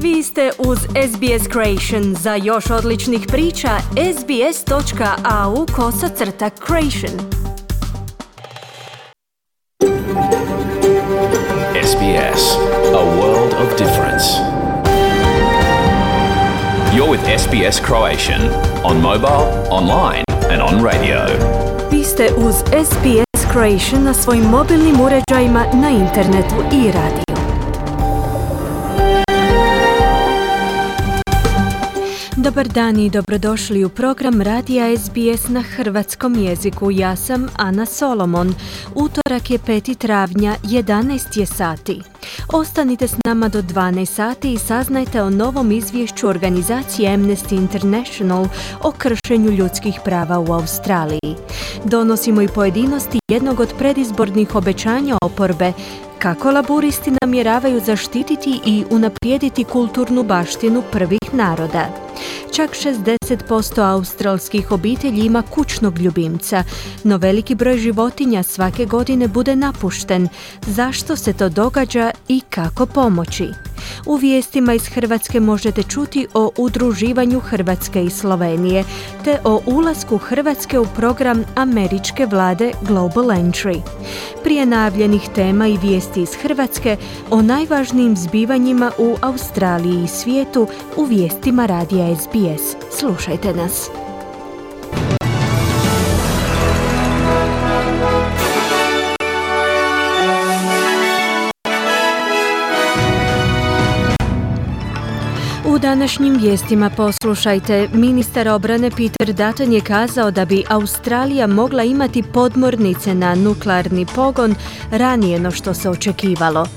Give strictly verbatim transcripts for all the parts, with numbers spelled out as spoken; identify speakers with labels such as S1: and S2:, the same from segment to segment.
S1: Vi ste uz S B S Creation. Za još odličnih priča, sbs.au kosacrta Creation.
S2: S B S, a world of difference. You're with S B S Croatian on mobile, online and on radio.
S1: Vi ste uz S B S Croatian na svojim mobilnim uređajima, na internetu i radiju. Dobar dan i dobrodošli u program radija S B S na hrvatskom jeziku. Ja sam Ana Solomon. Utorak je peti travnja, jedanaest je sati. Ostanite s nama do dvanaest sati i saznajte o novom izvješću organizacije Amnesty International o kršenju ljudskih prava u Australiji. Donosimo i pojedinosti jednog od predizbornih obećanja oporbe, kako laburisti namjeravaju zaštititi i unaprijediti kulturnu baštinu prvih naroda. Čak šezdeset posto australskih obitelji ima kućnog ljubimca, no veliki broj životinja svake godine bude napušten. Zašto se to događa i kako pomoći? U vijestima iz Hrvatske možete čuti o udruživanju Hrvatske i Slovenije, te o ulasku Hrvatske u program američke vlade Global Entry. Prije najavljenih tema i vijesti iz Hrvatske o najvažnijim zbivanjima u Australiji i svijetu u vijestima radija S B S. Slušajte nas. U današnjim vijestima poslušajte. Ministar obrane Peter Dutton je kazao da bi Australija mogla imati podmornice na nuklearni pogon ranije no što se očekivalo.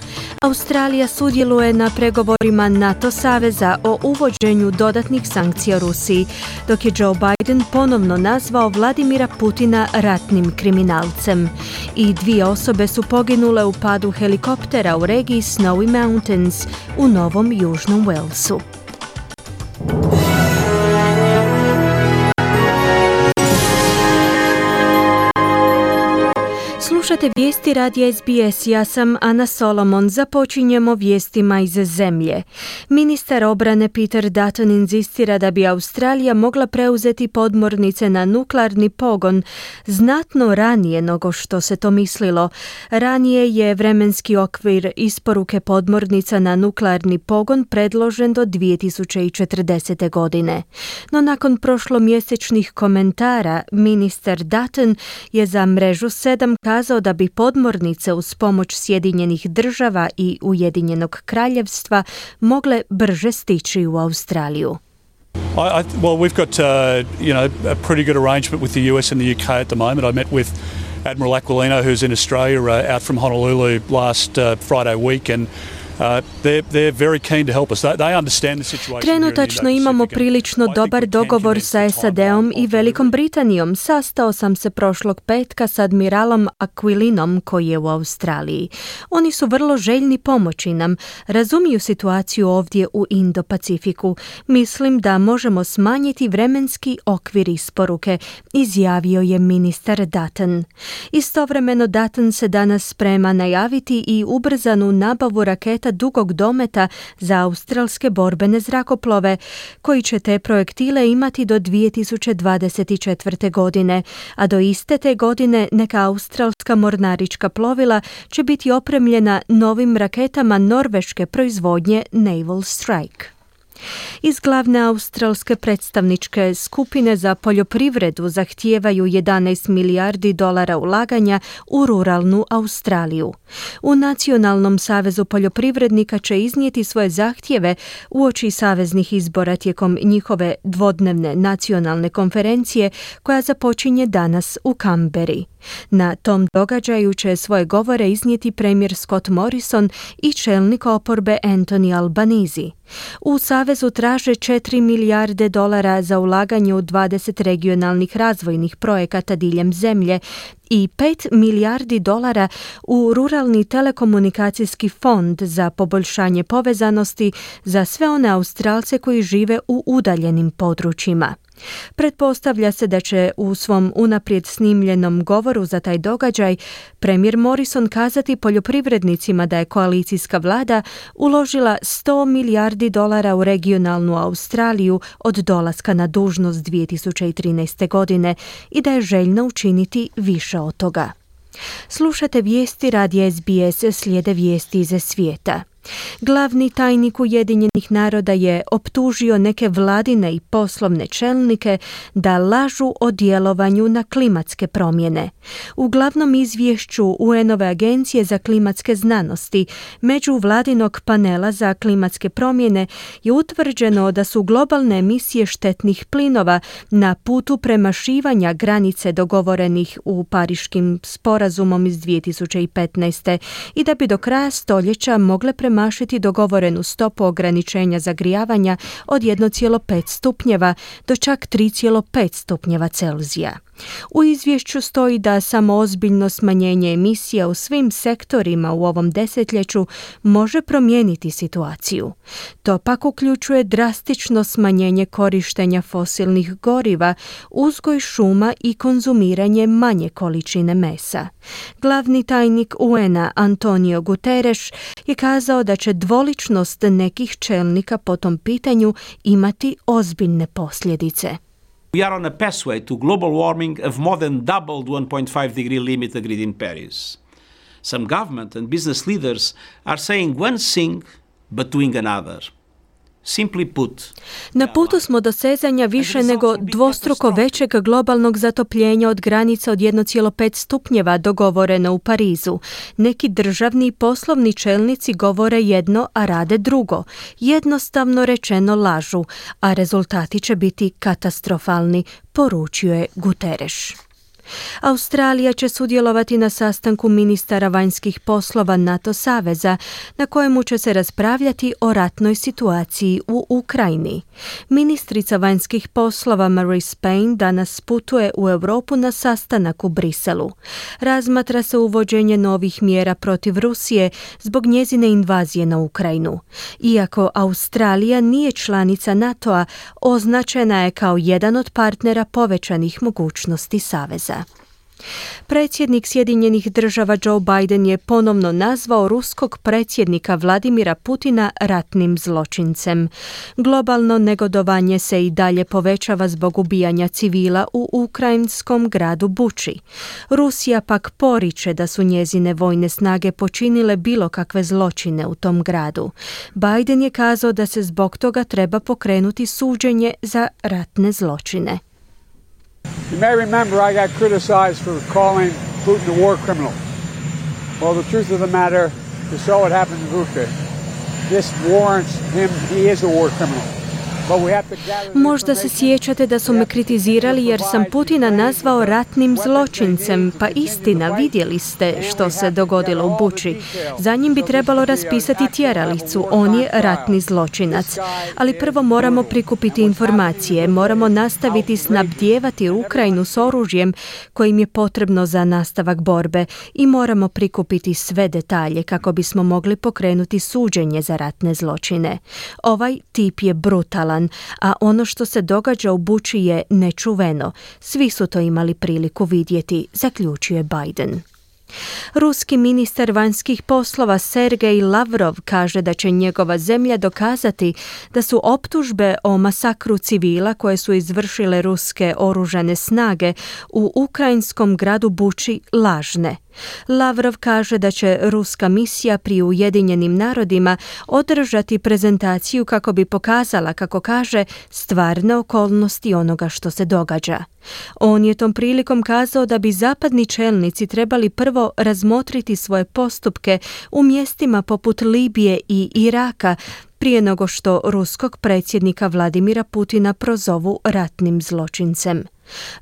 S1: Australija sudjeluje na pregovorima NATO saveza o uvođenju dodatnih sankcija Rusiji, dok je Joe Biden ponovno nazvao Vladimira Putina ratnim kriminalcem. I dvije osobe su poginule u padu helikoptera u regiji Snowy Mountains u Novom Južnom Walesu. Slušate vijesti radija S B S, ja sam Ana Solomon. Započinjemo vijestima iz zemlje. Ministar obrane Peter Dutton inzistira da bi Australija mogla preuzeti podmornice na nuklearni pogon znatno ranije nego što se to mislilo. Ranije je vremenski okvir isporuke podmornica na nuklearni pogon predložen do dvije tisuće četrdesete. godine. No nakon prošlomjesečnih komentara, ministar Dutton je za mrežu sedam kazao da bi podmornice uz pomoć Sjedinjenih država i Ujedinjenog kraljevstva mogle brže stići u Australiju.
S3: I, I, well, we've got uh, you know a pretty good arrangement with the U S and the U K at the moment. I met with Admiral Aquilino, who's in Australia, uh, out from Honolulu last uh, Friday week, and Uh, they're, they're very keen to help us. They, they understand the situation.
S1: Trenutačno imamo prilično dobar dogovor sa S A D-om i Velikom Britanijom. Sastao sam se prošlog petka s admiralom Aquilinom koji je u Australiji. Oni su vrlo željni pomoći nam. Razumiju situaciju ovdje u Indo-Pacifiku. Mislim da možemo smanjiti vremenski okvir isporuke, izjavio je ministar Dutton. Istovremeno Dutton se danas sprema najaviti i ubrzanu nabavu raketa dugog dometa za australske borbene zrakoplove, koji će te projektile imati do dvije tisuće dvadeset četvrte. godine, a do iste te godine neka australska mornarička plovila će biti opremljena novim raketama norveške proizvodnje Naval Strike. Iz glavne australske predstavničke skupine za poljoprivredu zahtijevaju jedanaest milijardi dolara ulaganja u ruralnu Australiju. U Nacionalnom savezu poljoprivrednika će iznijeti svoje zahtjeve uoči saveznih izbora tijekom njihove dvodnevne nacionalne konferencije koja započinje danas u Canberri. Na tom događaju će svoje govore iznijeti premijer Scott Morrison i čelnik oporbe Anthony Albanese. U savezu traže četiri milijarde dolara za ulaganje u dvadeset regionalnih razvojnih projekata diljem zemlje i pet milijardi dolara u ruralni telekomunikacijski fond za poboljšanje povezanosti za sve one Australce koji žive u udaljenim područjima. Pretpostavlja se da će u svom unaprijed snimljenom govoru za taj događaj premijer Morrison kazati poljoprivrednicima da je koalicijska vlada uložila sto milijardi dolara u regionalnu Australiju od dolaska na dužnost dvije tisuće trinaeste. godine i da je željna učiniti više od toga. Slušate vijesti radija S B S, slijede vijesti iz svijeta. Glavni tajnik Ujedinjenih naroda je optužio neke vladine i poslovne čelnike da lažu o djelovanju na klimatske promjene. U glavnom izvješću U N-ove agencije za klimatske znanosti međuvladinog panela za klimatske promjene je utvrđeno da su globalne emisije štetnih plinova na putu premašivanja granice dogovorenih u Pariškim sporazumom iz dvije tisuće petnaeste. i da bi do kraja stoljeća mogle premašiti dogovorenu stopu ograničenja zagrijavanja od jedan zarez pet stupnjeva do čak tri zarez pet stupnjeva Celzija. U izvješću stoji da samo ozbiljno smanjenje emisija u svim sektorima u ovom desetljeću može promijeniti situaciju. To pak uključuje drastično smanjenje korištenja fosilnih goriva, uzgoj šuma i konzumiranje manje količine mesa. Glavni tajnik U N-a Antonio Guterres je kazao da će dvoličnost nekih čelnika po tom pitanju imati ozbiljne posljedice.
S4: We are on a pathway to global warming of more than double the one point five degree limit agreed in Paris. Some government and business leaders are saying one thing but doing another. Simply put,
S1: na putu smo do sezanja više nego dvostruko većeg globalnog zatopljenja od granica od jedan zarez pet stupnjeva dogovoreno u Parizu. Neki državni i poslovni čelnici govore jedno, a rade drugo. Jednostavno rečeno lažu, a rezultati će biti katastrofalni, poručio je Guterres. Australija će sudjelovati na sastanku ministara vanjskih poslova NATO saveza, na kojemu će se raspravljati o ratnoj situaciji u Ukrajini. Ministrica vanjskih poslova Marise Payne danas putuje u Europu na sastanak u Briselu. Razmatra se uvođenje novih mjera protiv Rusije zbog njezine invazije na Ukrajinu. Iako Australija nije članica NATO-a, označena je kao jedan od partnera povećanih mogućnosti saveza. Predsjednik Sjedinjenih država Joe Biden je ponovno nazvao ruskog predsjednika Vladimira Putina ratnim zločincem. Globalno negodovanje se i dalje povećava zbog ubijanja civila u ukrajinskom gradu Buči. Rusija pak poriče da su njezine vojne snage počinile bilo kakve zločine u tom gradu. Biden je kazao da se zbog toga treba pokrenuti suđenje za ratne zločine.
S5: You may remember I got criticized for calling Putin a war criminal. Well, the truth of the matter is so it happened in Ukraine. This warrants him, he is a war criminal.
S1: Možda se sjećate da su me kritizirali jer sam Putina nazvao ratnim zločincem, pa istina, vidjeli ste što se dogodilo u Buči. Za njim bi trebalo raspisati tjeralicu, on je ratni zločinac. Ali prvo moramo prikupiti informacije, moramo nastaviti snabdijevati Ukrajinu s oružjem kojim je potrebno za nastavak borbe i moramo prikupiti sve detalje kako bismo mogli pokrenuti suđenje za ratne zločine. Ovaj tip je brutalan, a ono što se događa u Buči je nečuveno. Svi su to imali priliku vidjeti, zaključuje Biden. Ruski ministar vanjskih poslova Sergej Lavrov kaže da će njegova zemlja dokazati da su optužbe o masakru civila koje su izvršile ruske oružane snage u ukrajinskom gradu Buči lažne. Lavrov kaže da će ruska misija pri Ujedinjenim narodima održati prezentaciju kako bi pokazala, kako kaže, stvarne okolnosti onoga što se događa. On je tom prilikom kazao da bi zapadni čelnici trebali prvo razmotriti svoje postupke u mjestima poput Libije i Iraka prije nego što ruskog predsjednika Vladimira Putina prozovu ratnim zločincem.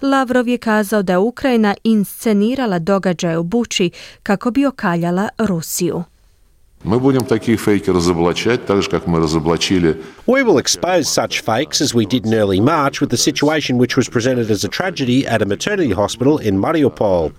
S1: Lavrov je kazao da je Ukrajina inscenirala događaje u Buči kako bi okaljala Rusiju.
S6: Мы будем таких фейки разоблачать, так же, как мы разоблачили.
S7: We will expose such fakes as we did in early March with the situation which was presented as a tragedy at a maternity hospital in Mariupol.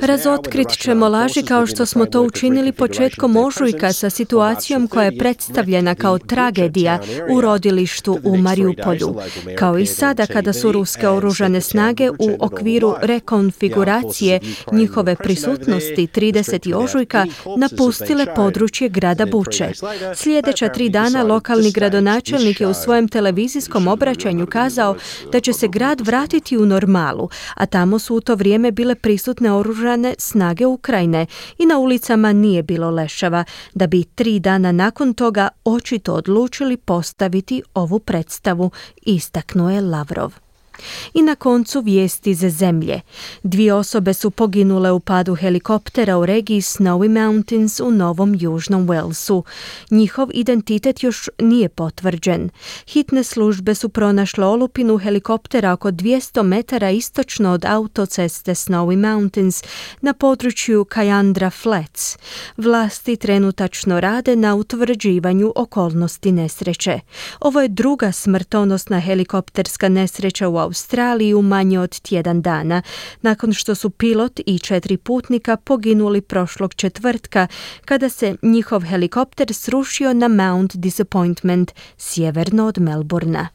S1: Razotkrit ćemo laži kao što smo to učinili početkom ožujka sa situacijom koja je predstavljena kao tragedija u rodilištu u Mariupolju. Kao i sada kada su ruske oružane snage u okviru rekonfiguracije njihove prisutnosti tridesetog ožujka napustile područje grada Buče. Sljedeća tri dana lokalni gradonačelnik je u svojem televizijskom obraćanju kazao da će se grad vratiti u normalu, a tamo su u to vrijeme bile prisutne oružane snage Ukrajine i na ulicama nije bilo leševa, da bi tri dana nakon toga očito odlučili postaviti ovu predstavu, istaknuo je Lavrov. I na koncu vijesti ze zemlje. Dvije osobe su poginule u padu helikoptera u regiji Snowy Mountains u Novom Južnom Walesu. Njihov identitet još nije potvrđen. Hitne službe su pronašle olupinu helikoptera oko dvjesto metara istočno od autoceste Snowy Mountains na području Cayandra Flats. Vlasti trenutačno rade na utvrđivanju okolnosti nesreće. Ovo je druga smrtonosna helikopterska nesreća u Australiji u manje od tjedan dana, nakon što su pilot i četiri putnika poginuli prošlog četvrtka kada se njihov helikopter srušio na Mount Disappointment, sjeverno od Melbourna.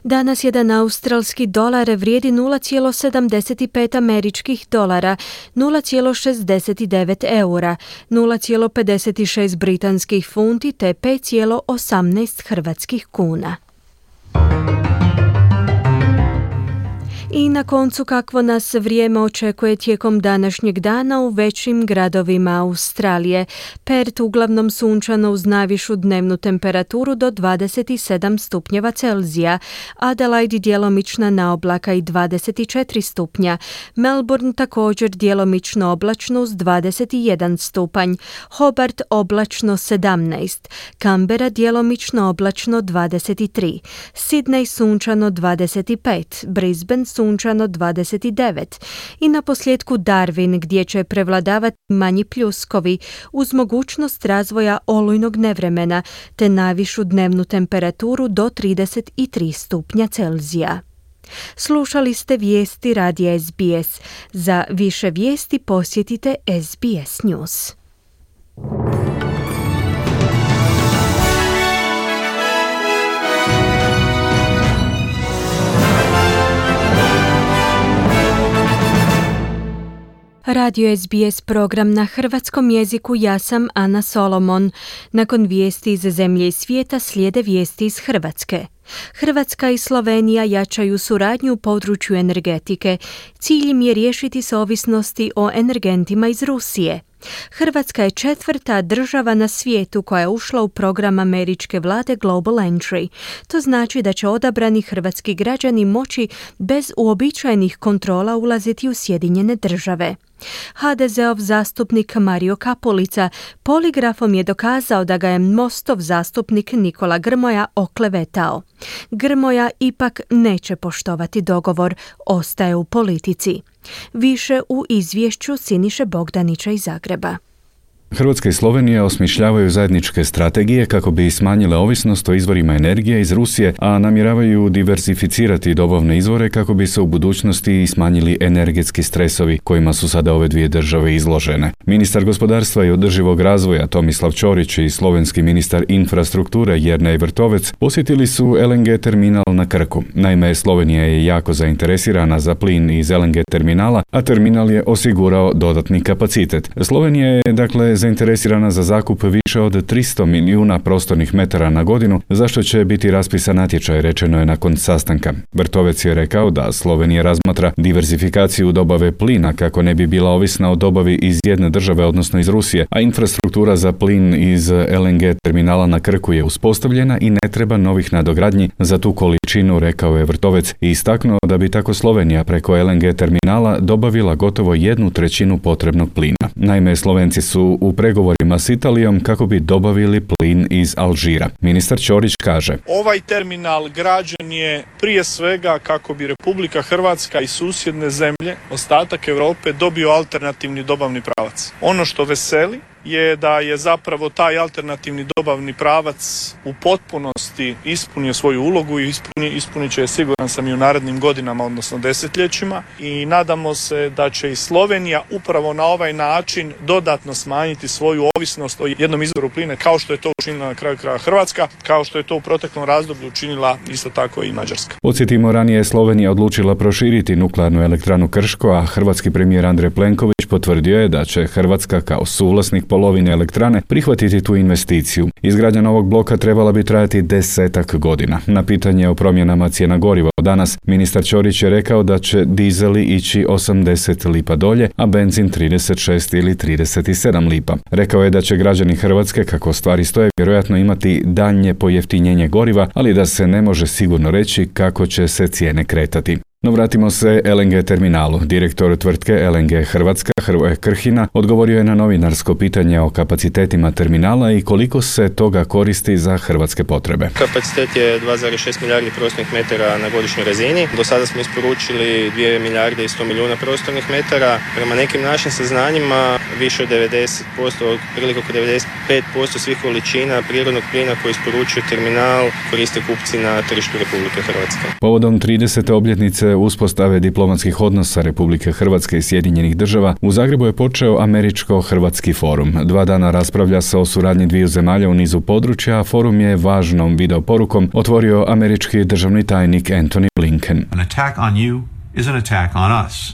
S1: Danas jedan australski dolar vrijedi nula zarez sedamdeset pet američkih dolara, nula zarez šezdeset devet eura, nula zarez pedeset šest britanskih funti te pet zarez osamnaest hrvatskih kuna. I na koncu kakvo nas vrijeme očekuje tijekom današnjeg dana u većim gradovima Australije. Perth uglavnom sunčano uz najvišu dnevnu temperaturu do dvadeset sedam stupnjeva Celzija, Adelaide djelomična na oblaka i dvadeset četiri stupnja, Melbourne također djelomično oblačno uz dvadeset jedan stupanj, Hobart oblačno sedamnaest, Canberra djelomično oblačno dvadeset tri, Sydney sunčano dvadeset pet, Brisbane sunčano dvadeset devet i na posljedku Darwin gdje će prevladavati manji pljuskovi uz mogućnost razvoja olujnog nevremena te najvišu dnevnu temperaturu do trideset tri stupnja Celzija. Slušali ste vijesti radija S B S. Za više vijesti posjetite S B S News. Radio S B S program na hrvatskom jeziku, ja sam Ana Solomon. Nakon vijesti iz zemlje i svijeta slijede vijesti iz Hrvatske. Hrvatska i Slovenija jačaju suradnju u području energetike. Cilj im je riješiti se ovisnosti o energentima iz Rusije. Hrvatska je četvrta država na svijetu koja je ušla u program američke vlade Global Entry. To znači da će odabrani hrvatski građani moći bez uobičajenih kontrola ulaziti u Sjedinjene države. H D Z-ov zastupnik Mario Kapulica poligrafom je dokazao da ga je Mostov zastupnik Nikola Grmoja oklevetao. Grmoja ipak neće poštovati dogovor, ostaje u politici. Više u izvješću Siniše Bogdanića iz Zagreba.
S8: Hrvatska i Slovenija osmišljavaju zajedničke strategije kako bi smanjile ovisnost o izvorima energije iz Rusije, a namjeravaju diversificirati dobavne izvore kako bi se u budućnosti smanjili energetski stresovi kojima su sada ove dvije države izložene. Ministar gospodarstva i održivog razvoja Tomislav Ćorić i slovenski ministar infrastrukture Jernej Vrtovec posjetili su L N G terminal na Krku. Naime, Slovenija je jako zainteresirana za plin iz L N G terminala, a terminal je osigurao dodatni kapacitet. Slovenija je, dakle, zainteresirana za zakup više od tristo milijuna prostornih metara na godinu, za što će biti raspisan natječaj, rečeno je nakon sastanka. Vrtovec je rekao da Slovenija razmatra diversifikaciju dobave plina kako ne bi bila ovisna o dobavi iz jedne države, odnosno iz Rusije, a infrastruktura za plin iz L N G terminala na Krku je uspostavljena i ne treba novih nadogradnji za tu količinu, rekao je Vrtovec i istaknuo da bi tako Slovenija preko L N G terminala dobavila gotovo jednu trećinu potrebnog plina. Naime, Slovenci su u pregovorima s Italijom kako bi dobavili plin iz Alžira. Ministar Ćorić kaže:
S9: Ovaj terminal građen je prije svega kako bi Republika Hrvatska i susjedne zemlje, ostatak Europe, dobio alternativni dobavni pravac. Ono što veseli je da je zapravo taj alternativni dobavni pravac u potpunosti ispunio svoju ulogu i ispuni, ispunit će je, siguran sam, i u narednim godinama, odnosno desetljećima, i nadamo se da će i Slovenija upravo na ovaj način dodatno smanjiti svoju ovisnost o jednom izvoru plina, kao što je to učinila na kraju kraja Hrvatska, kao što je to u proteklom razdoblju učinila isto tako i Mađarska.
S8: Podsjetimo, ranije je Slovenija odlučila proširiti nuklearnu elektranu Krško, a hrvatski premijer Andrej Plenković potvrdio je da će Hrvatska kao suvlasnik polovine elektrane prihvatiti tu investiciju. Izgradnja novog bloka trebala bi trajati desetak godina. Na pitanje o promjenama cijena goriva danas, ministar Ćorić je rekao da će dizeli ići osamdeset lipa dolje, a benzin trideset šest ili trideset sedam lipa. Rekao je da će građani Hrvatske, kako stvari stoje, vjerojatno imati daljnje pojeftinjenje goriva, ali da se ne može sigurno reći kako će se cijene kretati. No vratimo se el en ge terminalu. Direktor tvrtke el en ge Hrvatska, Hrvoje Krhina, odgovorio je na novinarsko pitanje o kapacitetima terminala i koliko se toga koristi za hrvatske potrebe.
S10: Kapacitet je dva zarez šest milijardi prostornih metara na godišnjoj razini. Do sada smo isporučili dvije milijarde i sto milijuna prostornih metara. Prema nekim našim saznanjima više od devedeset posto, otprilike oko devedeset pet posto svih količina prirodnog plina koji isporučuje terminal koriste kupci na tržištu Republike Hrvatske.
S8: Povodom tridesete obljetnice uspostave diplomatskih odnosa Republike Hrvatske i Sjedinjenih država, u Zagrebu je počeo Američko-Hrvatski forum. Dva dana raspravlja se o suradnji dviju zemalja u nizu područja, a forum je važnom videoporukom otvorio američki državni tajnik Antony Blinken.
S11: An attack on you is an attack on us.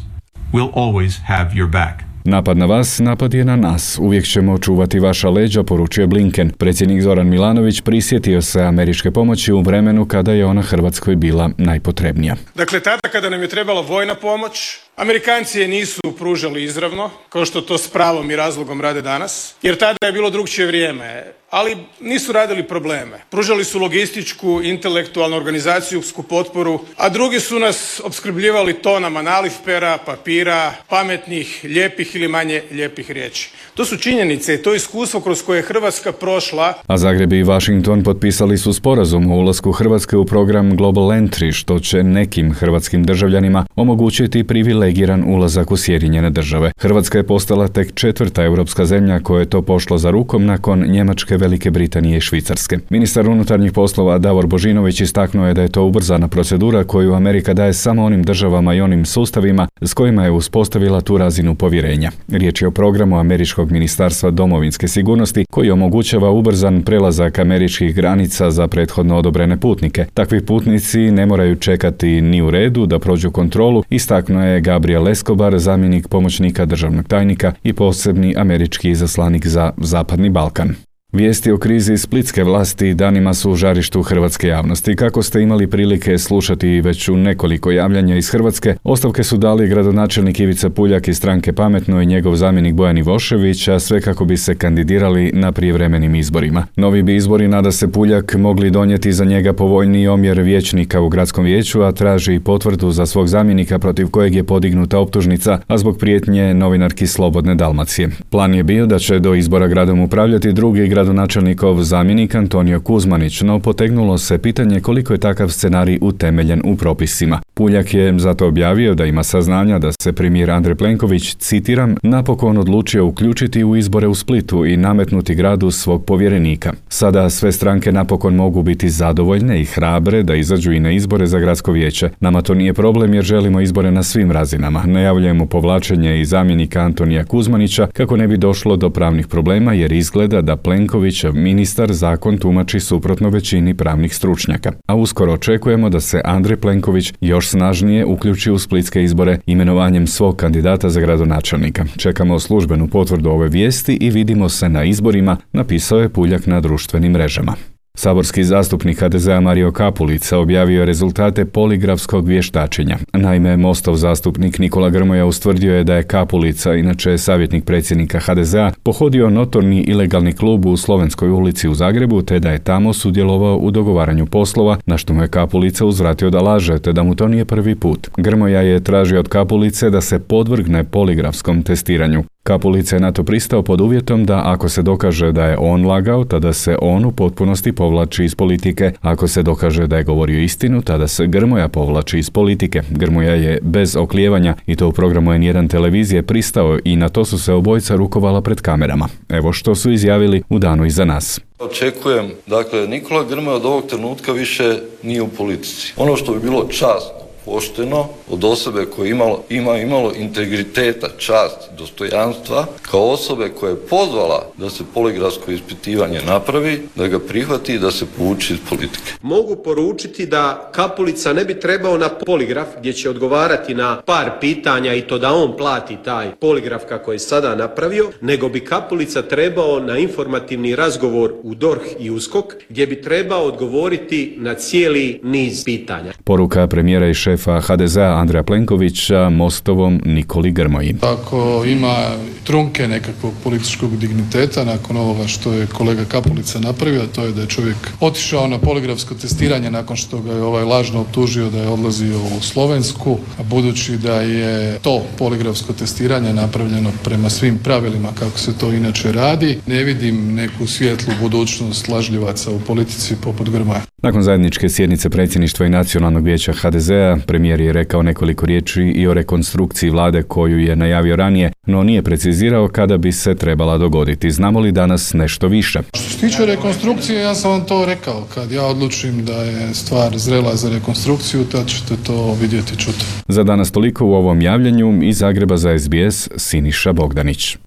S11: We'll always have your back.
S8: Napad na vas, napad je na nas. Uvijek ćemo čuvati vaša leđa, poručio Blinken. Predsjednik Zoran Milanović prisjetio se američke pomoći u vremenu kada je ona Hrvatskoj bila najpotrebnija.
S12: Dakle, tada kada nam je trebala vojna pomoć, Amerikanci je nisu pružali izravno, kao što to s pravom i razlogom rade danas, jer tada je bilo drugčije vrijeme, ali nisu radili probleme. Pružali su logističku, intelektualnu, organizacijsku potporu, a drugi su nas opskrbljivali tonama nalivpera, papira, pametnih, lijepih ili manje lijepih riječi. To su činjenice i to je iskustvo kroz koje je Hrvatska prošla.
S8: A Zagreb i Washington potpisali su sporazum o ulasku Hrvatske u program Global Entry, što će nekim hrvatskim državljanima omogućiti privilegiran ulazak u Sjedinjene države. Hrvatska je postala tek četvrta europska zemlja koja je to pošla za rukom nakon Njemačke, Velike Britanije i Švicarske. Ministar unutarnjih poslova Davor Božinović istaknuo je da je to ubrzana procedura koju Amerika daje samo onim državama i onim sustavima s kojima je uspostavila tu razinu povjerenja. Riječ je o programu američkog Ministarstva domovinske sigurnosti koji omogućava ubrzan prelazak američkih granica za prethodno odobrene putnike. Takvi putnici ne moraju čekati ni u redu da prođu kontrolu, istaknuo je Gabriel Escobar, zamjenik pomoćnika državnog tajnika i posebni američki izaslanik za Zapadni Balkan. Vijesti o krizi splitske vlasti danima su u žarištu hrvatske javnosti. Kako ste imali prilike slušati već u nekoliko javljanja iz Hrvatske, ostavke su dali gradonačelnik Ivica Puljak iz stranke Pametno i njegov zamjenik Bojan Ivošević, a sve kako bi se kandidirali na prijevremenim izborima. Novi bi izbori, nada se Puljak, mogli donijeti za njega povoljniji omjer vijećnika u gradskom vijeću, a traži i potvrdu za svog zamjenika protiv kojeg je podignuta optužnica, a zbog prijetnje novinarki Slobodne Dalmacije. Plan je bio da će do izbora gradom upravljati drugi gradonačelnikov zamjenik Antonio Kuzmanić, no potegnulo se pitanje koliko je takav scenarij utemeljen u propisima. Puljak je zato objavio da ima saznanja da se premijer Andrej Plenković, citiram, napokon odlučio uključiti u izbore u Splitu i nametnuti gradu svog povjerenika. Sada sve stranke napokon mogu biti zadovoljne i hrabre da izađu i na izbore za gradsko vijeće. Nama to nije problem jer želimo izbore na svim razinama. Najavljujemo povlačenje i zamjenika Antonija Kuzmanića kako ne bi došlo do pravnih problema jer izgleda da Plenkovićev ministar zakon tumači suprotno većini pravnih stručnjaka. A uskoro očekujemo da se Andrej Plenković još snažnije uključi u splitske izbore imenovanjem svog kandidata za gradonačelnika. Čekamo službenu potvrdu ove vijesti i vidimo se na izborima, napisao je Puljak na društvenim mrežama. Saborski zastupnik ha de zea Mario Kapulica objavio je rezultate poligrafskog vještačenja. Naime, Mostov zastupnik Nikola Grmoja ustvrdio je da je Kapulica, inače savjetnik predsjednika ha de zea, pohodio notorni ilegalni klub u Slovenskoj ulici u Zagrebu, te da je tamo sudjelovao u dogovaranju poslova, na što mu je Kapulica uzvratio da laže, te da mu to nije prvi put. Grmoja je tražio od Kapulice da se podvrgne poligrafskom testiranju. Kapulica je na to pristao pod uvjetom da ako se dokaže da je on lagao, tada se on u potpunosti povlači iz politike. Ako se dokaže da je govorio istinu, tada se Grmoja povlači iz politike. Grmoja je bez oklijevanja, i to u programu en jedan televizije, pristao i na to su se obojica rukovala pred kamerama. Evo što su izjavili u danu iza nas.
S13: Očekujem, dakle, Nikola Grmoja od ovog trenutka više nije u politici. Ono što bi bilo časno, pošteno, od osobe koja imalo, ima imalo integriteta, čast, dostojanstva, kao osobe koja je pozvala da se poligrafsko ispitivanje napravi, da ga prihvati i da se povuči iz politike.
S14: Mogu poručiti da Kapulica ne bi trebao na poligraf gdje će odgovarati na par pitanja i to da on plati taj poligraf kako je sada napravio, nego bi Kapulica trebao na informativni razgovor u D O R H i U S K O K gdje bi trebao odgovoriti na cijeli niz pitanja.
S8: Poruka premijera i šefa ha de zea Andreja Plenkovića Mostovom Nikoli Grmoji.
S15: Ako ima trunke nekakvog političkog digniteta nakon ovoga što je kolega Kapulica napravio, a to je da je čovjek otišao na poligrafsko testiranje nakon što ga je ovaj lažno optužio da je odlazio u Slovensku, a budući da je to poligrafsko testiranje napravljeno prema svim pravilima kako se to inače radi, ne vidim neku svijetlu budućnost lažljivaca u politici poput Grmoja.
S8: Nakon zajedničke sjednice predsjedništva i Nacionalnog vijeća ha de zea, premijer je rekao nekoliko riječi i o rekonstrukciji vlade koju je najavio ranije, no nije precizirao kada bi se trebala dogoditi. Znamo li danas nešto više?
S15: Što se tiče rekonstrukcije, ja sam vam to rekao. Kad ja odlučim da je stvar zrela za rekonstrukciju, tad ćete to vidjeti i čuti.
S8: Za danas toliko u ovom javljanju. Iz Zagreba za es be es Siniša Bogdanić.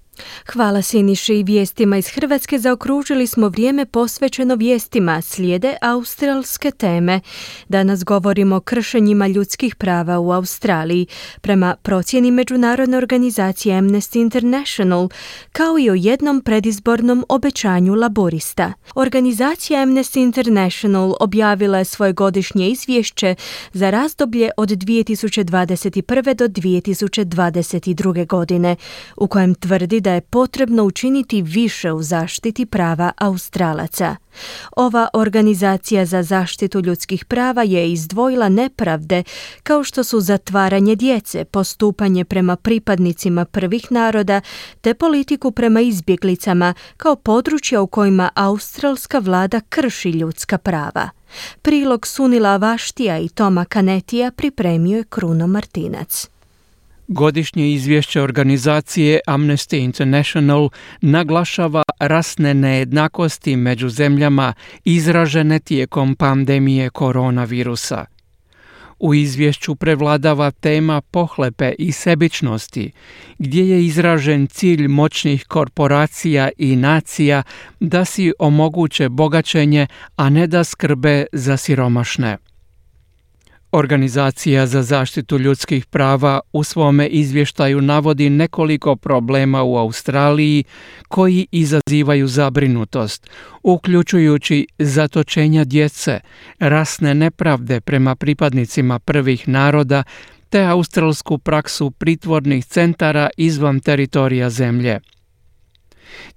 S1: Hvala Siniši. I vijestima iz Hrvatske zaokružili smo vrijeme posvećeno vijestima. Slijede australske teme. Danas govorimo o kršenjima ljudskih prava u Australiji, prema procjeni međunarodne organizacije Amnesty International, kao i o jednom predizbornom obećanju laborista. Organizacija Amnesty International objavila je svoje godišnje izvješće za razdoblje od dvije tisuće dvadeset prve do dvije tisuće dvadeset druge. godine, u kojem tvrdi da je potrebno učiniti više u zaštiti prava Australaca. Ova organizacija za zaštitu ljudskih prava je izdvojila nepravde kao što su zatvaranje djece, postupanje prema pripadnicima prvih naroda te politiku prema izbjeglicama kao područja u kojima australska vlada krši ljudska prava. Prilog Sunila Vaštija i Toma Kanetija pripremio je Kruno Martinac.
S16: Godišnje izvješće organizacije Amnesty International naglašava rasne nejednakosti među zemljama izražene tijekom pandemije koronavirusa. U izvješću prevladava tema pohlepe i sebičnosti, gdje je izražen cilj moćnih korporacija i nacija da si omoguće bogaćenje, a ne da skrbe za siromašne. Organizacija za zaštitu ljudskih prava u svome izvještaju navodi nekoliko problema u Australiji koji izazivaju zabrinutost, uključujući zatočenja djece, rasne nepravde prema pripadnicima prvih naroda te australsku praksu pritvornih centara izvan teritorija zemlje.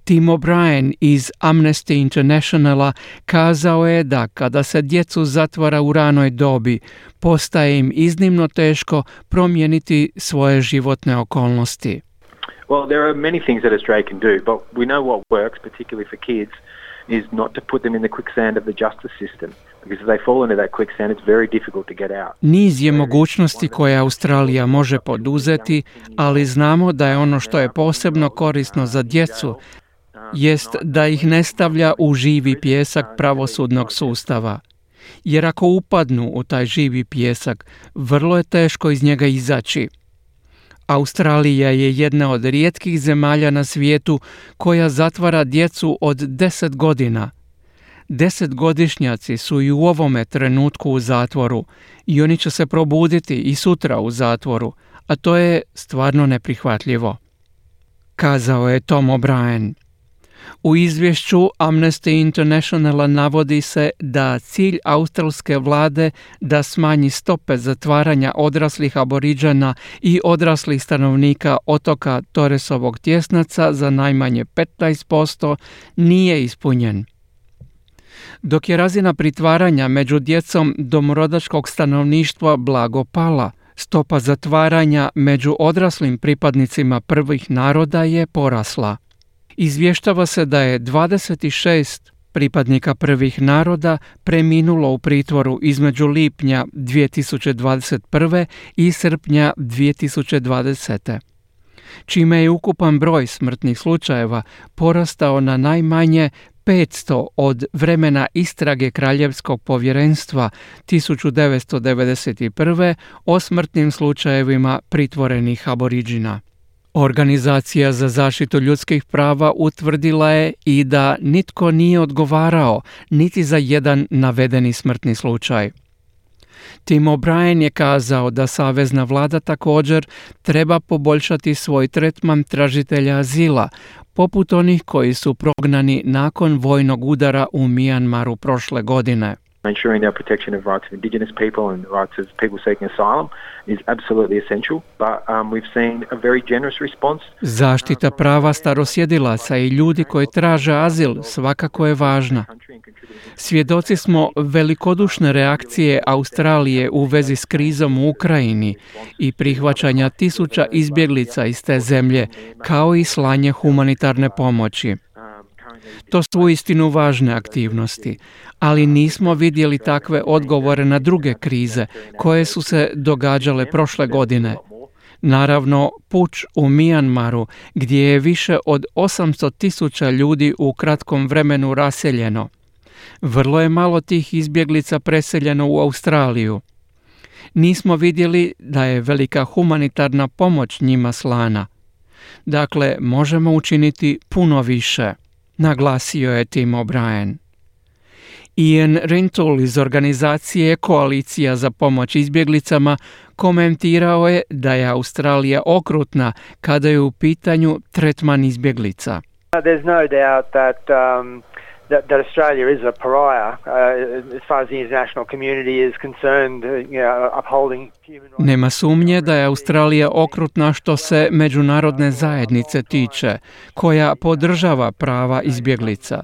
S16: Tim O'Brien iz Amnesty Internationala kazao je da kada se djecu zatvara u ranoj dobi, postaje im iznimno teško promijeniti svoje životne okolnosti.
S17: Well, there are many things that Australia can do, but we know what works, particularly for kids, is not to put them in the quicksand of the justice system. Because if they fall into that quicksand, it's very difficult to get out.
S16: Niz je mogućnosti koje Australija može poduzeti, ali znamo da je ono što je posebno korisno za djecu jest da ih ne stavlja u živi pijesak pravosudnog sustava. Jer ako upadnu u taj živi pijesak, vrlo je teško iz njega izaći. Australija je jedna od rijetkih zemalja na svijetu koja zatvara djecu od deset godina. Desetgodišnjaci su i u ovome trenutku u zatvoru i oni će se probuditi i sutra u zatvoru, a to je stvarno neprihvatljivo, kazao je Tom O'Brien. U izvješću Amnesty Internationala navodi se da cilj australske vlade da smanji stope zatvaranja odraslih aboriđana i odraslih stanovnika otoka Torresovog tjesnaca za najmanje petnaest posto nije ispunjen. Dok je razina pritvaranja među djecom domorodačkog stanovništva blago pala, Stopa zatvaranja među odraslim pripadnicima prvih naroda je porasla. Izvještava se da je dvadeset šest pripadnika prvih naroda preminulo u pritvoru između lipnja dvije tisuće dvadeset prve i srpnja dvije tisuće dvadesete. čime je ukupan broj smrtnih slučajeva porastao na najmanje petsto od vremena istrage Kraljevskog povjerenstva tisuću devetsto devedeset prve o smrtnim slučajevima pritvorenih aboriđina. Organizacija za zaštitu ljudskih prava utvrdila je i da nitko nije odgovarao niti za jedan navedeni smrtni slučaj. Tim O'Brien je kazao da savezna vlada također treba poboljšati svoj tretman tražitelja azila, poput onih koji su prognani nakon vojnog udara u Mijanmaru prošle godine.
S17: Ensuring our protection of rights of indigenous people and rights of people seeking asylum is absolutely essential, but um, we've seen a very generous response.
S16: Zaštita prava starosjedilaca i ljudi koji traže azil svakako je važna. Svjedoci smo velikodušne reakcije Australije u vezi s krizom u Ukrajini i prihvaćanja tisuća izbjeglica iz te zemlje, kao i slanje humanitarne pomoći. To su uistinu važne aktivnosti, ali nismo vidjeli takve odgovore na druge krize koje su se događale prošle godine. Naravno, puč u Mijanmaru, gdje je više od osamsto tisuća ljudi u kratkom vremenu raseljeno. Vrlo je malo tih izbjeglica preseljeno u Australiju. Nismo vidjeli da je velika humanitarna pomoć njima slana. Dakle, možemo učiniti puno više, naglasio je Tim O'Brien. Ian Rintoul iz organizacije Koalicija za pomoć izbjeglicama komentirao je da je Australija okrutna kada je u pitanju tretman izbjeglica.
S18: There's no doubt that um, that, that Australia is a pariah uh, as far as the international community is concerned, uh, you know, upholding human rights.
S16: Nema sumnje da je Australija okrutna što se međunarodne zajednice tiče, koja podržava prava izbjeglica.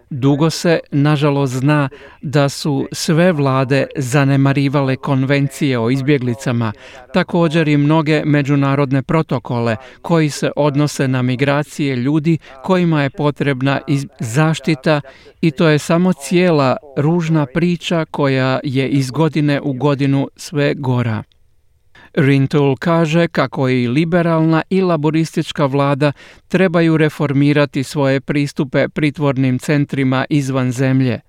S16: Dugo se, nažalost, zna da su sve vlade zanemarivale konvencije o izbjeglicama, također i mnoge međunarodne protokole koji se odnose na migracije ljudi kojima je potrebna zaštita, i to je samo cijela ružna priča koja je iz godine u godinu sve gora. Rintoul kaže kako i liberalna i laboristička vlada trebaju reformirati svoje pristupe pritvornim centrima izvan zemlje.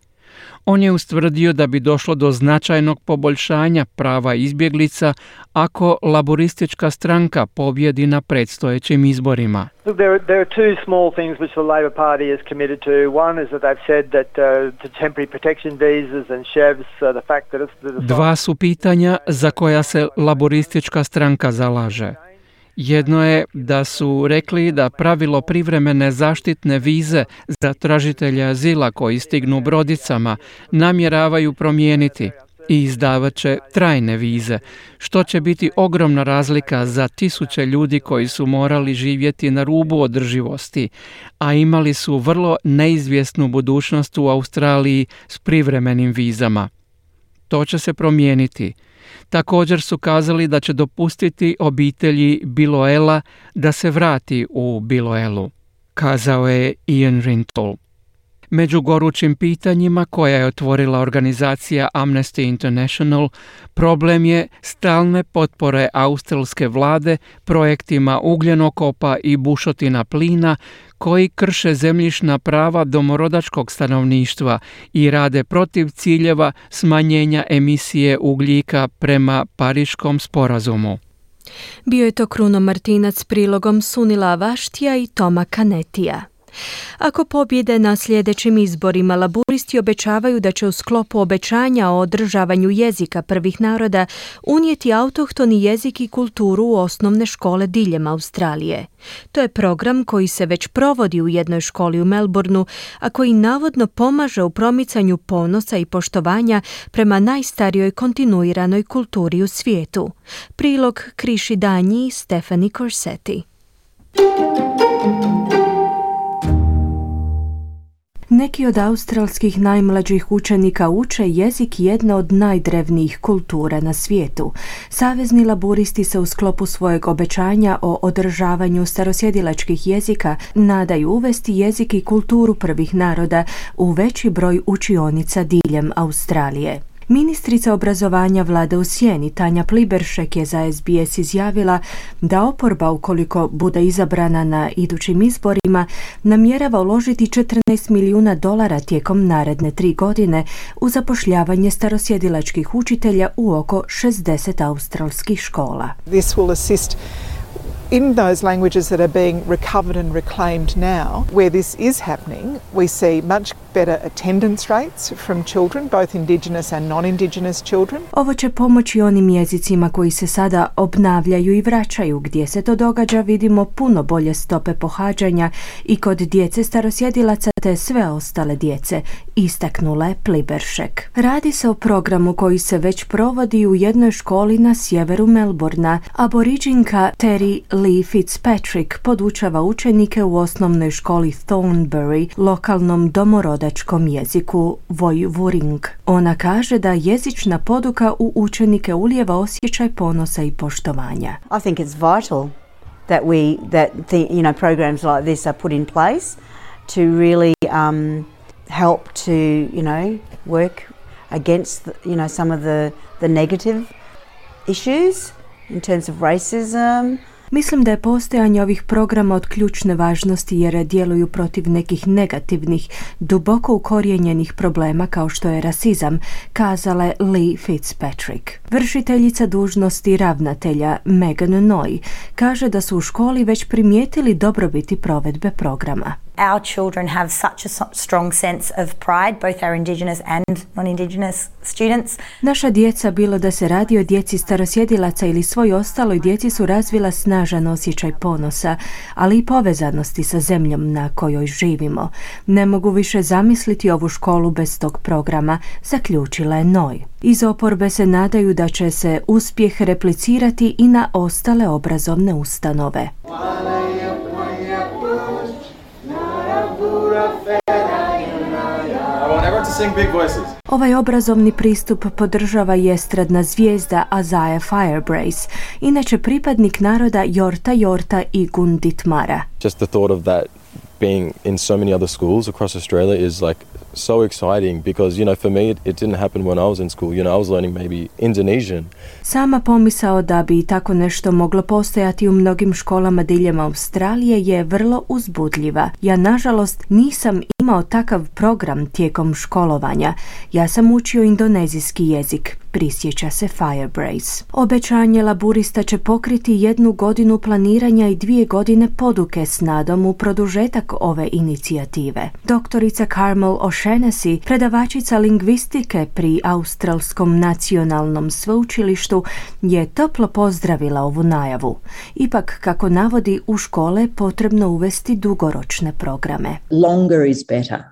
S16: On je ustvrdio da bi došlo do značajnog poboljšanja prava izbjeglica ako laboristička stranka pobjedi na predstojećim izborima.
S18: Look, there, there are two small things which the Labor Party is committed to. One is that they've said that uh, the temporary protection visas and chevs, uh, the fact that it's... The...
S16: Dva su pitanja za koja se laboristička stranka zalaže. Jedno je da su rekli da pravilo privremene zaštitne vize za tražitelje azila koji stignu brodicama namjeravaju promijeniti i izdavat će trajne vize, što će biti ogromna razlika za tisuće ljudi koji su morali živjeti na rubu održivosti, a imali su vrlo neizvjesnu budućnost u Australiji s privremenim vizama. To će se promijeniti. Također su kazali da će dopustiti obitelji Biloela da se vrati u Biloelu, kazao je Ian Rintoul. Među gorućim pitanjima koja je otvorila organizacija Amnesty International, problem je stalne potpore australske vlade projektima ugljenokopa i bušotina plina koji krše zemljišna prava domorodačkog stanovništva i rade protiv ciljeva smanjenja emisije ugljika prema Pariškom sporazumu.
S1: Bio je to Kruno Martinac s prilogom Sunila Vaštija i Toma Kanetija. Ako pobjede na sljedećim izborima, laburisti obećavaju da će u sklopu obećanja o održavanju jezika prvih naroda unijeti autohtoni jezik i kulturu u osnovne škole diljem Australije. To je program koji se već provodi u jednoj školi u Melbourneu, a koji navodno pomaže u promicanju ponosa i poštovanja prema najstarijoj kontinuiranoj kulturi u svijetu. Prilog Kriši Danji i Stefani Corsetti. Neki od australskih najmlađih učenika uče jezik jedne od najdrevnijih kultura na svijetu. Savezni laburisti se u sklopu svojeg obećanja o održavanju starosjedilačkih jezika nadaju uvesti jezik i kulturu prvih naroda u veći broj učionica diljem Australije. Ministrica obrazovanja vlade u sjeni Tanja Pliberšek je za S B S izjavila da oporba, ukoliko bude izabrana na idućim izborima, namjerava uložiti četrnaest milijuna dolara tijekom naredne tri godine u zapošljavanje starosjedilačkih učitelja u oko šezdeset australskih škola.
S19: This will assist in those languages that are being recovered and reclaimed now. Where this is happening, we see much better attendance rates from children, both Indigenous and non-Indigenous children.
S1: Ovo će pomoći onim jezicima koji se sada obnavljaju i vraćaju. Gdje se to događa, vidimo puno bolje stope pohađanja i kod djece starosjedilaca te sve ostale djece, istaknula je Pliberšek. Radi se o programu koji se već provodi u jednoj školi na sjeveru Melbourna. Aboriđinka Terry Lee Fitzpatrick podučava učenike u osnovnoj školi Thornbury, lokalnom domorodačkom jeziku Woiwurrung. Ona kaže da jezična poduka u učenike ulijeva osjećaj ponosa i poštovanja.
S20: I think it's vital that we that the, you know programs like this are put in place to really um, help to you know work against the, you know some of the the negative issues in terms of racism.
S1: Mislim da je postojanje ovih programa od ključne važnosti jer djeluju protiv nekih negativnih, duboko ukorijenjenih problema kao što je rasizam, kazala je Lee Fitzpatrick. Vršiteljica dužnosti ravnatelja Megan Noy kaže da su u školi već primijetili dobrobiti provedbe programa.
S21: Our children have such a strong sense of pride, both our Indigenous and non-Indigenous students.
S1: Naša djeca, bilo da se radi o djeci starosjedilaca ili svoj ostaloj djeci, su razvila snažan osjećaj ponosa, ali i povezanosti sa zemljom na kojoj živimo. Ne mogu više zamisliti ovu školu bez tog programa, zaključila je Noy. Iz oporbe se nadaju da će se uspjeh replicirati i na ostale obrazovne ustanove. Ovaj obrazovni pristup podržava i estradna zvijezda Isaiah Firebrace, inače pripadnik naroda Yorta Yorta i Gunditmara.
S22: Just the thought of that being in so many other schools across Australia is like so exciting because, you know, for me it, it didn't happen when I was in school. You know, I was learning maybe Indonesian.
S1: Sama pomisao da bi tako nešto moglo postojati u mnogim školama diljem Australije je vrlo uzbudljiva. Ja, nažalost, nisam imao takav program tijekom školovanja. Ja sam učio indonezijski jezik, prisjeća se Firebrace. Obećanje laburista će pokriti jednu godinu planiranja i dvije godine poduke s nadom u produžetak ove inicijative. Doktorica Carmel O'Shaughnessy, predavačica lingvistike pri Australskom nacionalnom sveučilištu, je toplo pozdravila ovu najavu. Ipak, kako navodi, u škole potrebno uvesti dugoročne programe.
S23: Longer is better.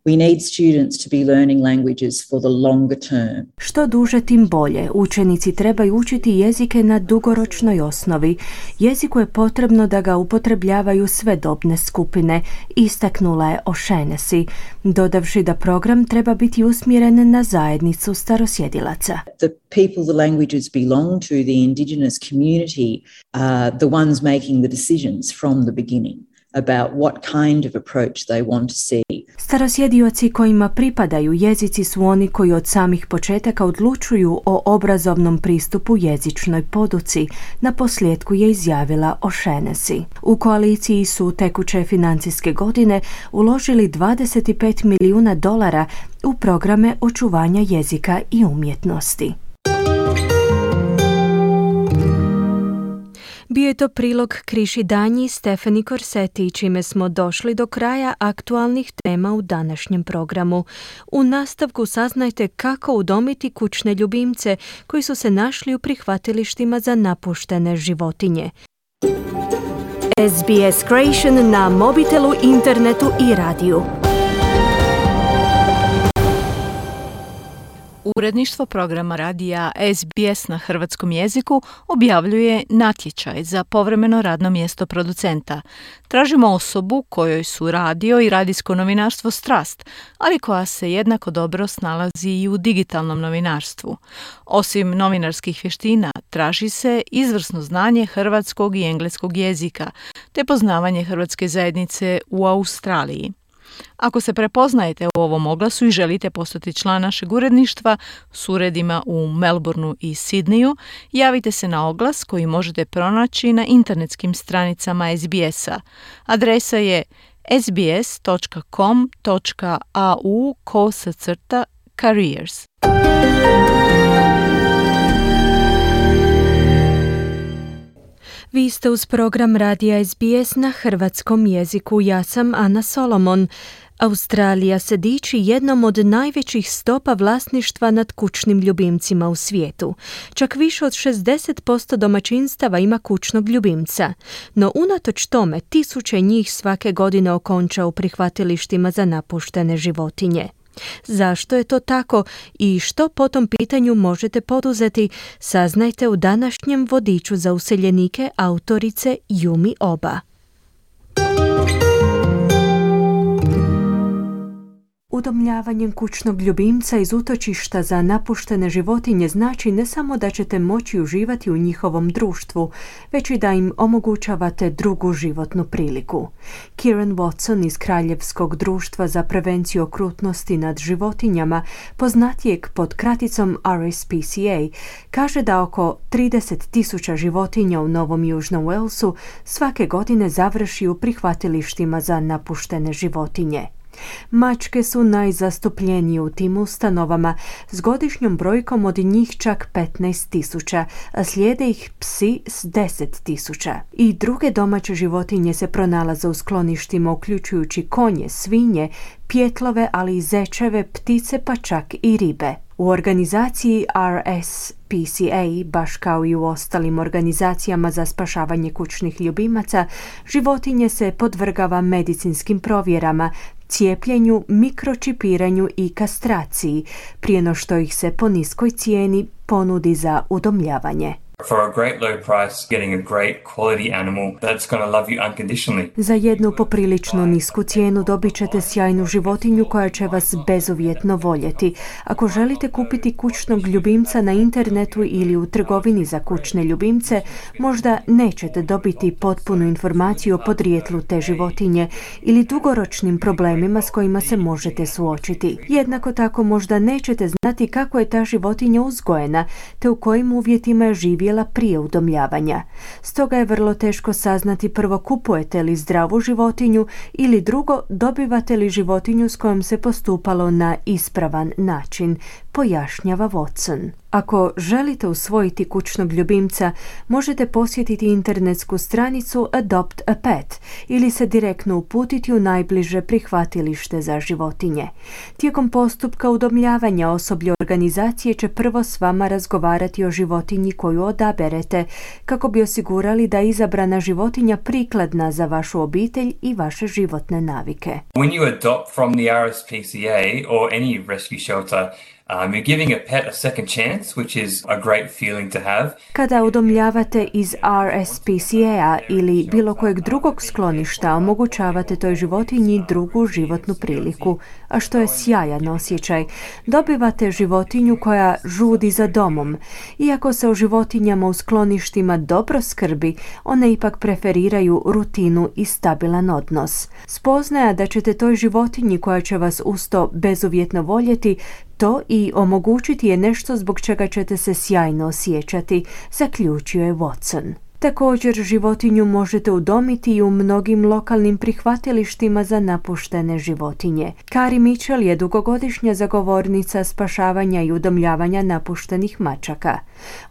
S23: We need students to be learning languages for the longer term.
S1: Što duže, tim bolje. Učenici trebaju učiti jezike na dugoročnoj osnovi. Jeziku je potrebno da ga upotrebljavaju sve dobne skupine, istaknula je O'Shaughnessy, dodavši da program treba biti usmjeren na zajednicu starosjedilaca.
S23: The people the languages belong to, the Indigenous community, are the ones making the decisions from the beginning about what kind of approach they want to see.
S1: Starosjedioci kojima pripadaju jezici su oni koji od samih početaka odlučuju o obrazovnom pristupu jezičnoj poduci, na posljedku je izjavila O'Shaughnessy. U koaliciji su tekuće financijske godine uložili dvadeset pet milijuna dolara u programe očuvanja jezika i umjetnosti. Bio je to prilog Kriši Danji i Stefani Korseti, čime smo došli do kraja aktualnih tema u današnjem programu. U nastavku saznajte kako udomiti kućne ljubimce koji su se našli u prihvatilištima za napuštene životinje. S B S Creation na mobitelu, internetu i radiju.
S2: Uredništvo programa radija S B S na hrvatskom jeziku objavljuje natječaj za povremeno radno mjesto producenta. Tražimo osobu kojoj su radio i radijsko novinarstvo strast, ali koja se jednako dobro snalazi i u digitalnom novinarstvu. Osim novinarskih vještina, traži se izvrsno znanje hrvatskog i engleskog jezika, te poznavanje hrvatske zajednice u Australiji. Ako se prepoznajete u ovom oglasu i želite postati član našeg uredništva s uredima u Melbourneu i Sidneju, javite se na oglas koji možete pronaći na internetskim stranicama S B S-a. Adresa je sbs.com.au kosacrta careers.
S1: Vi ste uz program radija S B S na hrvatskom jeziku. Ja sam Ana Solomon. Australija se diči jednom od najvećih stopa vlasništva nad kućnim ljubimcima u svijetu. Čak više od šezdeset posto domaćinstava ima kućnog ljubimca. No unatoč tome, tisuće njih svake godine okonča u prihvatilištima za napuštene životinje. Zašto je to tako i što po tom pitanju možete poduzeti, saznajte u današnjem vodiču za useljenike autorice Yumi Oba. Udomljavanjem kućnog ljubimca iz utočišta za napuštene životinje znači ne samo da ćete moći uživati u njihovom društvu, već i da im omogućavate drugu životnu priliku. Kieran Watson iz Kraljevskog društva za prevenciju okrutnosti nad životinjama, poznatijeg pod kraticom R S P C A, kaže da oko trideset tisuća životinja u Novom Južnom Walesu svake godine završi u prihvatilištima za napuštene životinje. Mačke su najzastupljenije u tim ustanovama s godišnjom brojkom od njih čak petnaest tisuća, a slijede ih psi s deset tisuća. I druge domaće životinje se pronalaze u skloništima uključujući konje, svinje, pjetlove, ali i zečeve, ptice pa čak i ribe. U organizaciji R S P C A, baš kao i u ostalim organizacijama za spašavanje kućnih ljubimaca, životinje se podvrgava medicinskim provjerama, cijepljenju, mikročipiranju i kastraciji, prije no što ih se po niskoj cijeni ponudi za udomljavanje.
S3: For a great low price, getting a great quality animal that's going to love you unconditionally.
S1: Za jednu poprilično nisku cijenu dobit ćete sjajnu životinju koja će vas bezuvjetno voljeti. Ako želite kupiti kućnog ljubimca na internetu ili u trgovini za kućne ljubimce, možda nećete dobiti potpunu informaciju o podrijetlu te životinje ili dugoročnim problemima s kojima se možete suočiti. Jednako tako možda nećete znati kako je ta životinja uzgojena, te u kojim uvjetima je živjela prije udomljavanja. Stoga je vrlo teško saznati prvo kupujete li zdravu životinju ili drugo dobivate li životinju s kojom se postupalo na ispravan način, pojašnjava Watson. Ako želite usvojiti kućnog ljubimca, možete posjetiti internetsku stranicu Adopt a Pet ili se direktno uputiti u najbliže prihvatilište za životinje. Tijekom postupka udomljavanja osoblje organizacije će prvo s vama razgovarati o životinji koju odaberete, kako bi osigurali da je izabrana životinja prikladna za vašu obitelj i vaše životne navike.
S3: When you adopt from the R S P C A or any rescue shelter, Um, you're giving a pet a second chance, which is a great feeling to have.
S1: Kada udomljavate iz R S P C A ili bilo kojeg drugog skloništa, omogućavate toj životinji drugu životnu priliku, a što je sjajan osjećaj. Dobivate životinju koja žudi za domom. Iako se o životinjama u skloništima dobro skrbi, one ipak preferiraju rutinu i stabilan odnos. Spoznaja da ćete toj životinji koja će vas usto bezuvjetno voljeti, to i omogućiti je nešto zbog čega ćete se sjajno osjećati, zaključio je Watson. Također životinju možete udomiti i u mnogim lokalnim prihvatilištima za napuštene životinje. Kari Mitchell je dugogodišnja zagovornica spašavanja i udomljavanja napuštenih mačaka.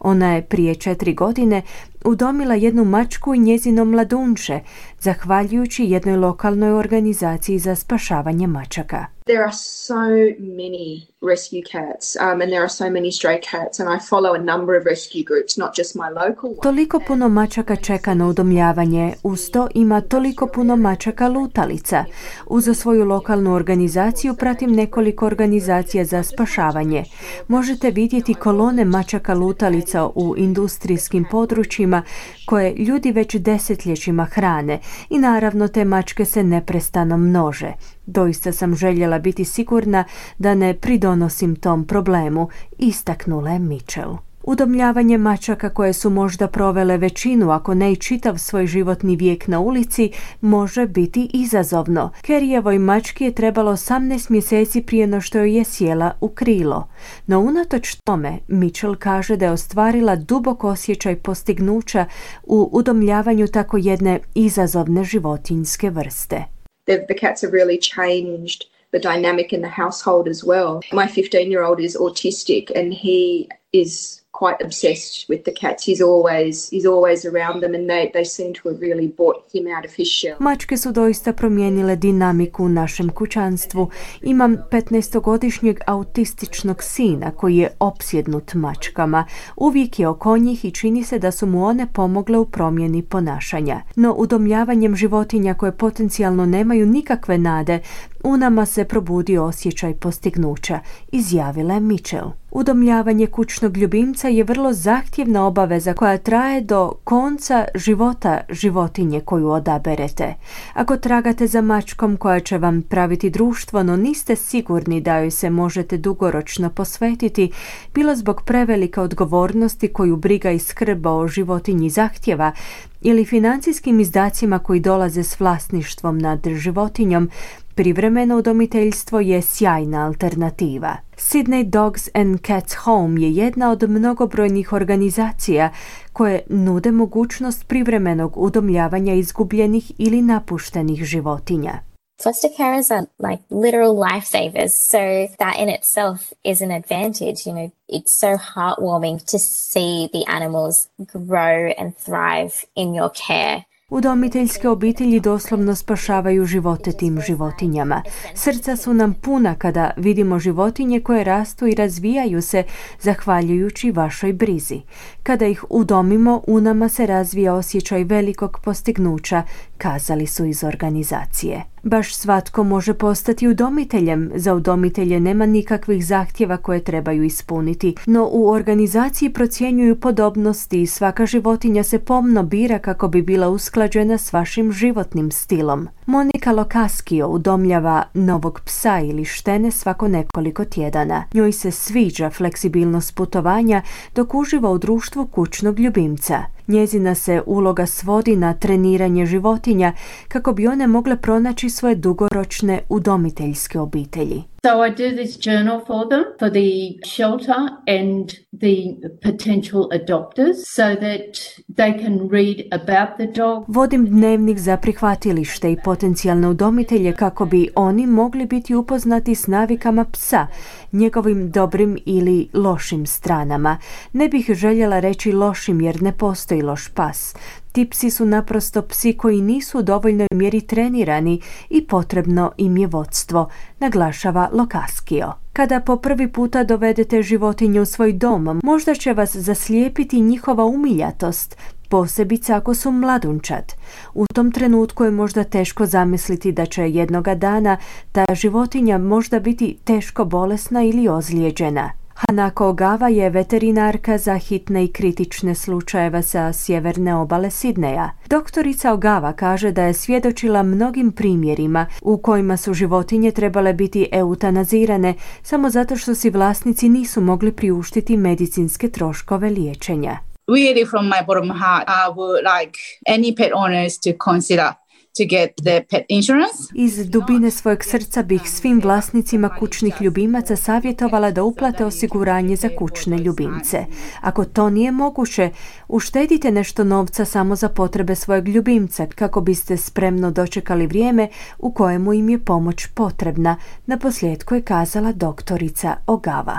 S1: Ona je prije četiri godine udomila jednu mačku i njezino mladunče, zahvaljujući jednoj lokalnoj organizaciji za spašavanje mačaka.
S4: There are so many rescue cats um, and there are so many stray cats and I follow a number of rescue groups, not just my local one.
S1: Toliko puno mačaka čeka na udomljavanje, uz to ima toliko puno mačaka lutalica. Uz svoju lokalnu organizaciju pratim nekoliko organizacija za spašavanje. Možete vidjeti kolone mačaka lutalica u industrijskim područjima koje ljudi već desetljećima hrane i naravno te mačke se neprestano množe. Doista sam željela biti sigurna da ne pridonosim tom problemu, istaknula je Mitchell. Udomljavanje mačaka koje su možda provele većinu, ako ne i čitav svoj životni vijek na ulici, može biti izazovno. Kerryjevoj mački je trebalo osamnaest mjeseci prije no što joj je sjela u krilo. No unatoč tome, Mitchell kaže da je ostvarila dubok osjećaj postignuća u udomljavanju tako jedne izazovne životinjske vrste.
S4: The, the cats have really changed the dynamic in the household as well. My fifteen-year-old is autistic and he is quite obsessed with the cats. He's always he's always around them and they, they seem to have really brought him out of his shell.
S1: Mačke su doista promijenile dinamiku u našem kućanstvu. Imam petnaestogodišnjeg autističnog sina koji je opsjednut mačkama. Uvijek je oko njih i čini se da su mu one pomogle u promjeni ponašanja. No udomljavanjem životinja koje potencijalno nemaju nikakve nade, u nama se probudio osjećaj postignuća, izjavila je Mitchell. Udomljavanje kućnog ljubimca je vrlo zahtjevna obaveza koja traje do konca života životinje koju odaberete. Ako tragate za mačkom koja će vam praviti društvo, no niste sigurni da joj se možete dugoročno posvetiti, bilo zbog prevelike odgovornosti koju briga i skrb o životinji zahtjeva, ili financijskim izdacima koji dolaze s vlasništvom nad životinjom, privremeno udomiteljstvo je sjajna alternativa. Sydney Dogs and Cats Home je jedna od mnogobrojnih organizacija koje nude mogućnost privremenog udomljavanja izgubljenih ili napuštenih životinja.
S5: Foster carers are like literal lifesavers, so that in itself is an advantage. You know, it's so heartwarming to see the animals grow and thrive in your care.
S1: Udomiteljske obitelji doslovno spašavaju živote tim životinjama. Srca su nam puna kada vidimo životinje koje rastu i razvijaju se zahvaljujući vašoj brizi. Kada ih udomimo, u nama se razvija osjećaj velikog postignuća, kazali su iz organizacije. Baš svatko može postati udomiteljem. Za udomitelje nema nikakvih zahtjeva koje trebaju ispuniti, no u organizaciji procjenjuju podobnosti i svaka životinja se pomno bira kako bi bila usklađena s vašim životnim stilom. Monika Lokaskio udomljava novog psa ili štene svako nekoliko tjedana. Njoj se sviđa fleksibilnost putovanja dok uživa u društvu kućnog ljubimca. Njezina se uloga svodi na treniranje životinja kako bi one mogle pronaći svoje dugoročne udomiteljske obitelji.
S6: So I do this journal for them, for the shelter and the potential adopters, so that they can read about the dog.
S1: Vodim dnevnik za prihvatilište i potencijalne udomitelje kako bi oni mogli biti upoznati s navikama psa, njegovim dobrim ili lošim stranama. Ne bih željela reći lošim jer ne postoji loš pas. Ti psi su naprosto psi koji nisu u dovoljnoj mjeri trenirani i potrebno im je vodstvo, naglašava Lokaskio. Kada po prvi puta dovedete životinju u svoj dom, možda će vas zaslijepiti njihova umiljatost, posebice ako su mladunčad. U tom trenutku je možda teško zamisliti da će jednoga dana ta životinja možda biti teško bolesna ili ozlijeđena. Hanako Ogawa je veterinarka za hitne i kritične slučajeve sa sjeverne obale Sidneja. Doktorica Ogawa kaže da je svjedočila mnogim primjerima u kojima su životinje trebale biti eutanazirane samo zato što si vlasnici nisu mogli priuštiti medicinske troškove liječenja.
S24: Really from my bottom heart, I would like any pet owners to consider to get the pet insurance.
S1: Iz dubine svojeg srca bih svim vlasnicima kućnih ljubimaca savjetovala da uplate osiguranje za kućne ljubimce. Ako to nije moguće, uštedite nešto novca samo za potrebe svojeg ljubimca kako biste spremno dočekali vrijeme u kojemu im je pomoć potrebna, naposljetku je kazala doktorica Ogawa.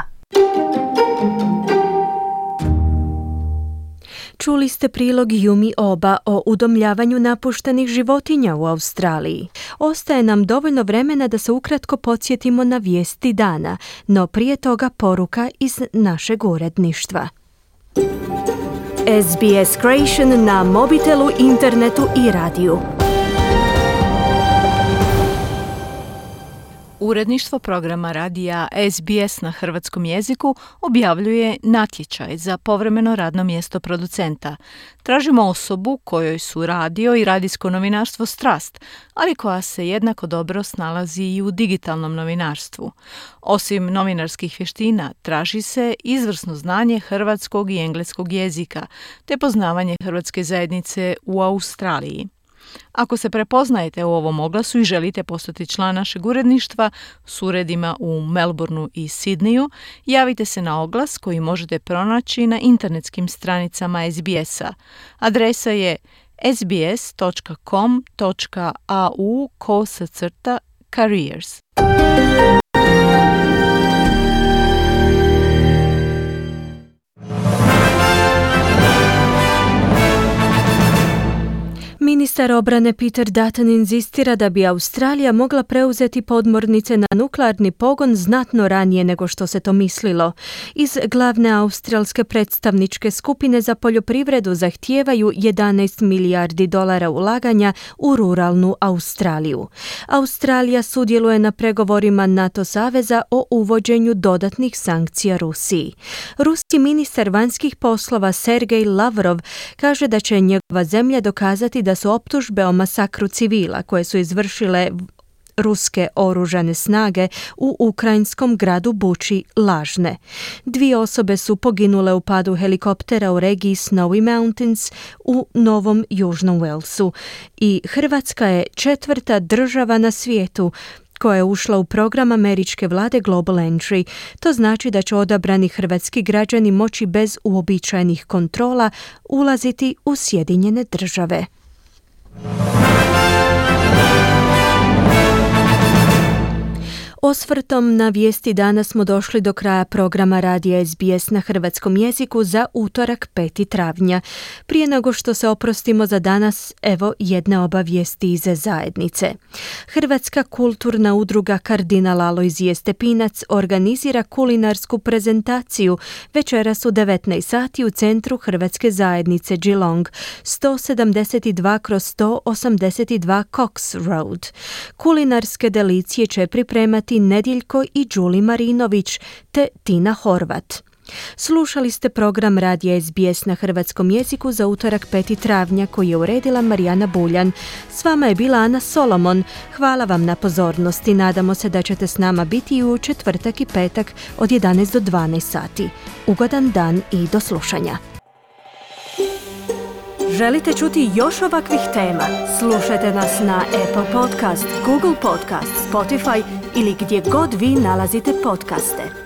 S1: Čuli ste prilog Yumi Oba o udomljavanju napuštenih životinja u Australiji. Ostaje nam dovoljno vremena da se ukratko podsjetimo na vijesti dana, no prije toga poruka iz našeg uredništva. S B S Creation na mobitelu, internetu i radiju.
S2: Uredništvo programa radija S B S na hrvatskom jeziku objavljuje natječaj za povremeno radno mjesto producenta. Tražimo osobu kojoj su radio i radijsko novinarstvo strast, ali koja se jednako dobro snalazi i u digitalnom novinarstvu. Osim novinarskih vještina, traži se izvrsno znanje hrvatskog i engleskog jezika, te poznavanje hrvatske zajednice u Australiji. Ako se prepoznajete u ovom oglasu i želite postati član našeg uredništva s uredima u Melbourneu i Sidneju, javite se na oglas koji možete pronaći na internetskim stranicama S B S-a. Adresa je sbs.com.au kosacrta careers.
S1: Ministar obrane Peter Dutton inzistira da bi Australija mogla preuzeti podmornice na nuklearni pogon znatno ranije nego što se to mislilo. Iz glavne australske predstavničke skupine za poljoprivredu zahtijevaju jedanaest milijardi dolara ulaganja u ruralnu Australiju. Australija sudjeluje na pregovorima NATO saveza o uvođenju dodatnih sankcija Rusiji. Ruski ministar vanjskih poslova Sergej Lavrov kaže da će njegova zemlja dokazati da su optužbe o masakru civila koje su izvršile ruske oružane snage u ukrajinskom gradu Buči lažne. Dvije osobe su poginule u padu helikoptera u regiji Snowy Mountains u Novom Južnom Walesu i Hrvatska je četvrta država na svijetu koja je ušla u program američke vlade Global Entry. To znači da će odabrani hrvatski građani moći bez uobičajenih kontrola ulaziti u Sjedinjene države. Osvrtom na vijesti dana smo došli do kraja programa radija S B S na hrvatskom jeziku za utorak peti travnja. Prije nego što se oprostimo za danas, evo jedne obavijesti iz zajednice. Hrvatska kulturna udruga Kardinal Alojzije Stepinac organizira kulinarsku prezentaciju večeras u devetnaest sati u centru Hrvatske zajednice Geelong, sto sedamdeset dva kroz sto osamdeset dva Cox Road. Kulinarske delicije će pripremati Nedjeljko i Đuli Marinović te Tina Horvat. Slušali ste program radija S B S na hrvatskom jeziku za utorak peti travnja koji je uredila Marijana Buljan. S vama je bila Ana Solomon. Hvala vam na pozornosti. Nadamo se da ćete s nama biti i u četvrtak i petak od jedanaest do dvanaest sati. Ugodan dan i do slušanja. Želite čuti još ovakvih tema? Slušajte nas na Apple Podcast, Google Podcast, Spotify ili gdje god vi nalazite podcaste.